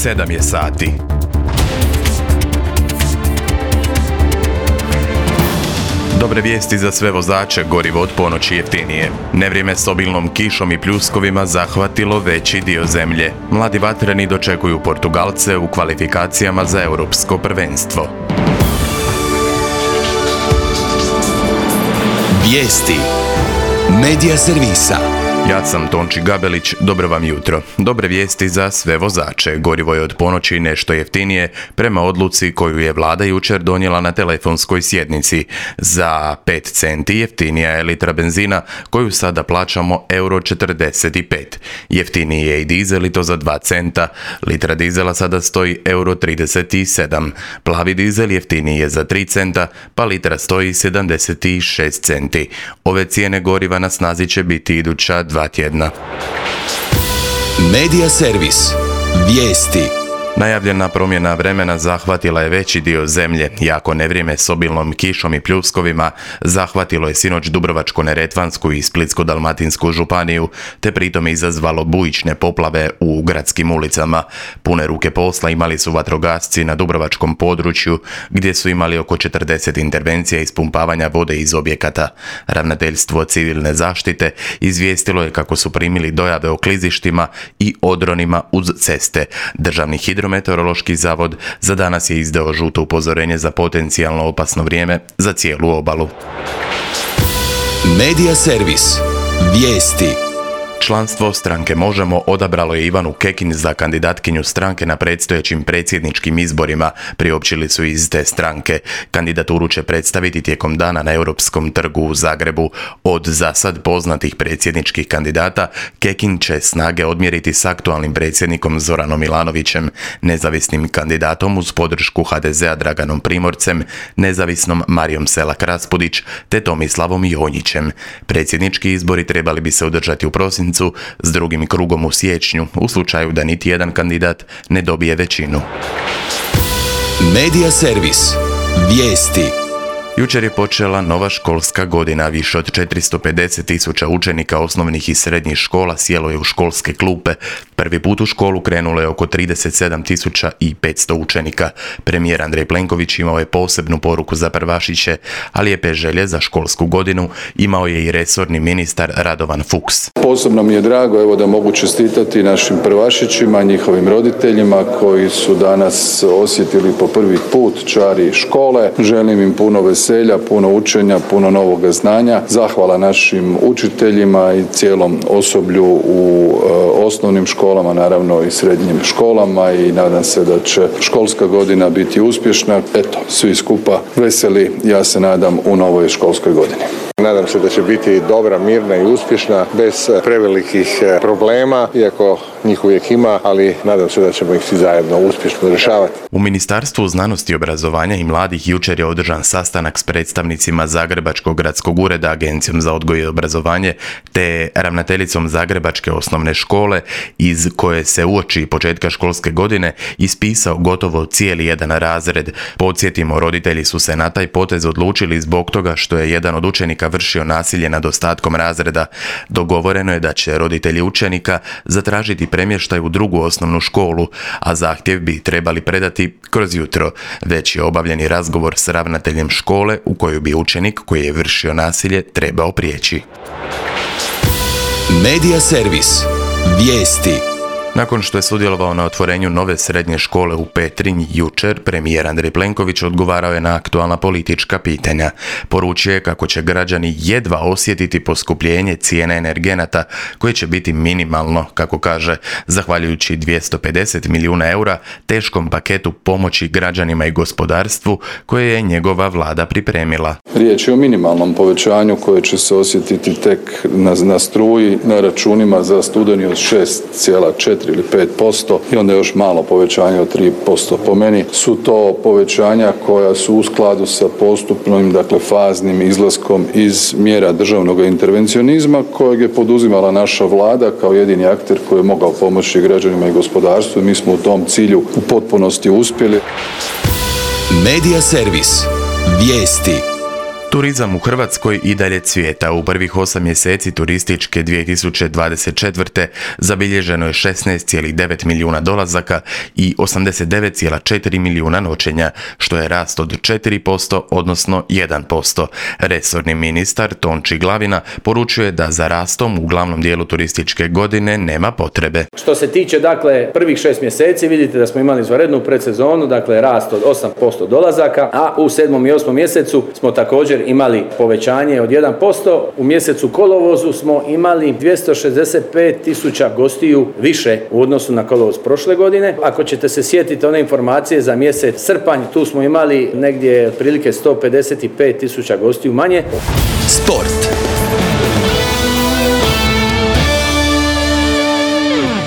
7 je sati. Dobre vijesti za sve vozače, gorivo od ponoći jeftinije. Nevrijeme s obilnom kišom i pljuskovima zahvatilo veći dio zemlje. Mladi vatreni dočekuju Portugalce u kvalifikacijama za europsko prvenstvo. Vijesti Medija servisa. Ja sam Tonči Gabelić, dobro vam jutro. Dobre vijesti za sve vozače. Gorivo je od ponoći nešto jeftinije prema odluci koju je vlada jučer donijela na telefonskoj sjednici. Za 5 centi jeftinija je litra benzina koju sada plaćamo €45. Jeftiniji je i dizel i to za 2 centa. Litra dizela sada stoji €37. Plavi dizel jeftiniji je za 3 centa, pa litra stoji 76 centi. Ove cijene goriva na snazi će biti iduća 2 tjedna. Medija servis. Vijesti. Najavljena promjena vremena zahvatila je veći dio zemlje. Jako nevrijeme s obilnom kišom i pljuskovima zahvatilo je sinoć Dubrovačko-neretvansku i Splitsko-dalmatinsku županiju, te pritom izazvalo bujične poplave u gradskim ulicama. Pune ruke posla imali su vatrogasci na dubrovačkom području, gdje su imali oko 40 intervencija ispumpavanja vode iz objekata. Ravnateljstvo civilne zaštite izvijestilo je kako su primili dojave o klizištima i odronima uz ceste. Državni Hidrometeorološki zavod za danas je izdao žuto upozorenje za potencijalno opasno vrijeme za cijelu obalu. Medija servis. Vijesti. Članstvo stranke Možemo odabralo je Ivanu Kekin za kandidatkinju stranke na predstojećim predsjedničkim izborima, priopćili su iz te stranke. Kandidaturu će predstaviti tijekom dana na Europskom trgu u Zagrebu. Od za sad poznatih predsjedničkih kandidata, Kekin će snage odmjeriti s aktualnim predsjednikom Zoranom Milanovićem, nezavisnim kandidatom uz podršku HDZ-a Draganom Primorcem, nezavisnom Marijom Selak-Raspudić te Tomislavom Jonjićem. Predsjednički izbori trebali bi se održati u prosincu s drugim krugom u siječnju, u slučaju da niti jedan kandidat ne dobije većinu. Medija servis. Vijesti. Jučer je počela nova školska godina. Više od 450.000 učenika osnovnih i srednjih škola sjelo je u školske klupe. Prvi put u školu krenulo je oko 37.500 učenika. Premijer Andrej Plenković imao je posebnu poruku za prvašiće, ali lijepe želje za školsku godinu imao je i resorni ministar Radovan Fuchs. Posebno mi je drago da mogu čestitati našim prvašićima, njihovim roditeljima koji su danas osjetili po prvi put čari škole. Želim im puno veselja, puno učenja, puno novoga znanja. Zahvala našim učiteljima i cijelom osoblju u osnovnim školama, naravno i srednjim školama, i nadam se da će školska godina biti uspješna. Eto, svi skupa veseli, ja se nadam, u novoj školskoj godini. Nadam se da će biti dobra, mirna i uspješna, bez prevelikih problema, iako njih uvijek ima, ali nadam se da ćemo ih svi zajedno uspješno rješavati. U Ministarstvu znanosti, obrazovanja i mladih jučer je održan sastanak s predstavnicima Zagrebačkog gradskog ureda, Agencijom za odgoj i obrazovanje, te ravnateljicom Zagrebačke osnovne škole, iz koje se uoči početka školske godine ispisao gotovo cijeli jedan razred. Podsjetimo, roditelji su se na taj potez odlučili zbog toga što je jedan od učenika vršio nasilje nad ostatkom razreda. Dogovoreno je da će roditelji učenika zatražiti premještaj u drugu osnovnu školu, a zahtjev bi trebali predati kroz jutro. Već je obavljeni razgovor s ravnateljem škole u koju bi učenik koji je vršio nasilje trebao prijeći. Medija servis. Vijesti. Nakon što je sudjelovao na otvorenju nove srednje škole u Petrinji jučer, premijer Andrej Plenković odgovarao je na aktualna politička pitanja. Poručio je kako će građani jedva osjetiti poskupljenje cijene energenata, koje će biti minimalno, kako kaže, zahvaljujući 250 milijuna eura teškom paketu pomoći građanima i gospodarstvu koje je njegova vlada pripremila. Riječ je o minimalnom povećanju koje će se osjetiti tek na struji, na računima za studeni od 6,4 ili 5% i onda još malo povećanje od 3%. Po meni su to povećanja koja su u skladu sa postupnim, faznim izlaskom iz mjera državnog intervencionizma kojeg je poduzimala naša vlada kao jedini akter koji je mogao pomoći građanima i gospodarstvu. Mi smo u tom cilju u potpunosti uspjeli. Medija servis. Vijesti. Turizam u Hrvatskoj i dalje cvijeta. U prvih 8 mjeseci turističke 2024. zabilježeno je 16,9 milijuna dolazaka i 89,4 milijuna noćenja, što je rast od 4%, odnosno 1%. Resorni ministar Tonči Glavina poručuje da za rastom u glavnom dijelu turističke godine nema potrebe. Što se tiče prvih 6 mjeseci, vidite da smo imali izvanrednu predsezonu, rast od 8% dolazaka, a u 7. i 8. mjesecu smo također imali povećanje od 1%. U mjesecu kolovozu smo imali 265.000 gostiju više u odnosu na kolovoz prošle godine. Ako ćete se sjetiti one informacije za mjesec srpanj, tu smo imali negdje otprilike 155.000 gostiju manje. Sport.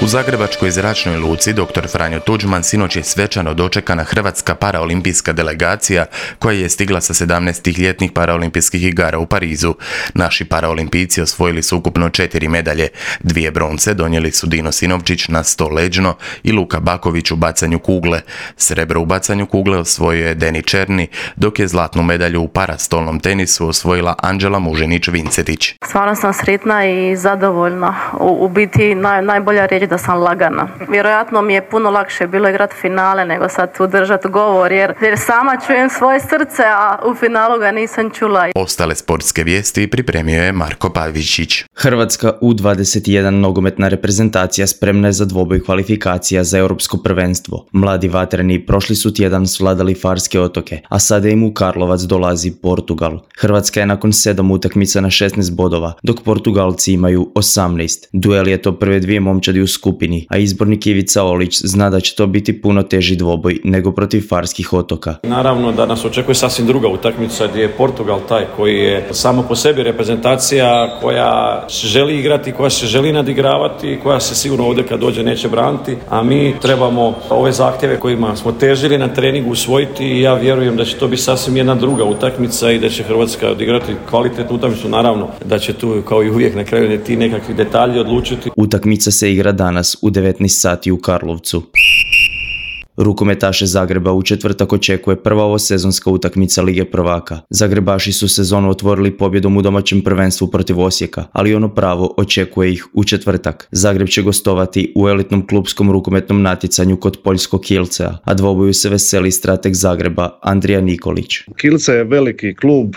U Zagrebačkoj zračnoj luci dr. Franjo Tuđman sinoć je svečano dočekana hrvatska paraolimpijska delegacija koja je stigla sa 17. ljetnih paraolimpijskih igara u Parizu. Naši paraolimpijci osvojili su ukupno 4 medalje. 2 bronce donijeli su Dino Sinovčić na 100 leđno i Luka Baković u bacanju kugle. Srebro u bacanju kugle osvojio je Deni Černi, dok je zlatnu medalju u parastolnom tenisu osvojila Anđela Mužinić-Vincetić. Stvarno sam sretna i zadovoljna. U biti najbolja riječ da sam lagana. Vjerojatno mi je puno lakše bilo igrati finale nego sad tu držati govor jer sama čujem svoje srce, a u finalu ga nisam čula. Ostale sportske vijesti pripremio je Marko Pavičić. Hrvatska U21 nogometna reprezentacija spremna je za dvoboj kvalifikacija za europsko prvenstvo. Mladi vatreni prošli su tjedan svladali Farske otoke, a sada im u Karlovac dolazi Portugal. Hrvatska je nakon 7 utakmica na 16 bodova, dok Portugalci imaju 18. Duel je to prve dvije momčadi u skupini, a izbornik Ivica Olić zna da će to biti puno teži dvoboj nego protiv Farskih otoka. Naravno da nas očekuje sasvim druga utakmica gdje je Portugal taj koji je samo po sebi reprezentacija koja želi igrati, koja se želi nadigravati, koja se sigurno ovdje kad dođe neće braniti, a mi trebamo ove zahtjeve kojima smo težili na treningu usvojiti i ja vjerujem da će to biti sasvim jedna druga utakmica i da će Hrvatska odigrati kvalitetnu utakmicu, naravno da će tu kao i uvijek na kraju ti nekakvi detalji odlučiti. Utakmica se igra danas u 19 sati u Karlovcu. Rukometaše Zagreba u četvrtak očekuje prva ovosezonska utakmica Lige prvaka. Zagrebaši su sezonu otvorili pobjedom u domaćem prvenstvu protiv Osijeka, ali ono pravo očekuje ih u četvrtak. Zagreb će gostovati u elitnom klupskom rukometnom natjecanju kod poljskog Kielcea, a dvoboju se veseli strateg Zagreba Andrija Nikolić. Kielce je veliki klub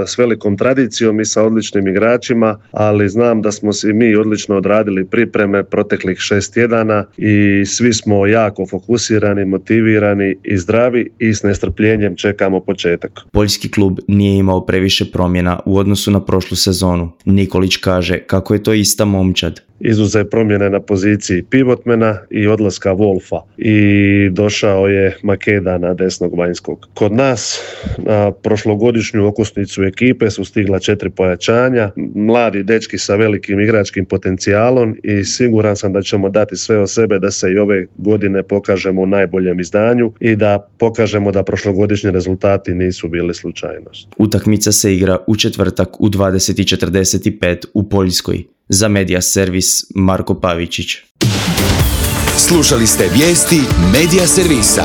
s velikom tradicijom i sa odličnim igračima, ali znam da smo si mi odlično odradili pripreme proteklih 6 tjedana i svi smo jako fokusirani, motivirani i zdravi i s nestrpljenjem čekamo početak. Poljski klub nije imao previše promjena u odnosu na prošlu sezonu. Nikolić kaže kako je to ista momčad. Izuzev promjene na poziciji pivotmena i odlaska Wolfa i došao je Makeda na desnog vanjskog. Kod nas na prošlogodišnju okosnicu ekipe su stigla 4 pojačanja, mladi dečki sa velikim igračkim potencijalom i siguran sam da ćemo dati sve od sebe da se i ove godine pokažemo u najboljem izdanju i da pokažemo da prošlogodišnji rezultati nisu bili slučajnost. Utakmica se igra u četvrtak u 20:45 u Poljskoj. Za Media Servis Marko Pavičić. Slušali ste vijesti Media Servisa.